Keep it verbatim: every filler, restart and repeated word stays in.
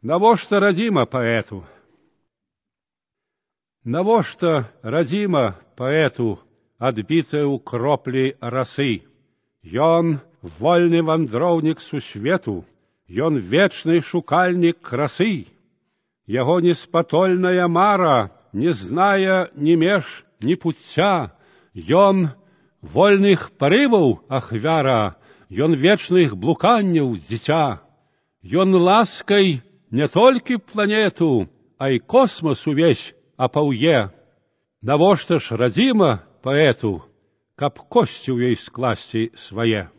Навошта радзіма паэту? Навошта радзіма паэту, адбітая ў кроплі расы? Ён вольны вандроўнік сусвету, ён вечны шукальнік красы. Яго неспатольная мара не знае ні меж, ні пуцця. Ён вольных парываў ахвяра, ён вечных блуканняў дзіця. Ён ласкай не толькі планету, а і космас увесь апаўе. Навошта ж радзіма паэту, каб косці ў ёй скласці свае?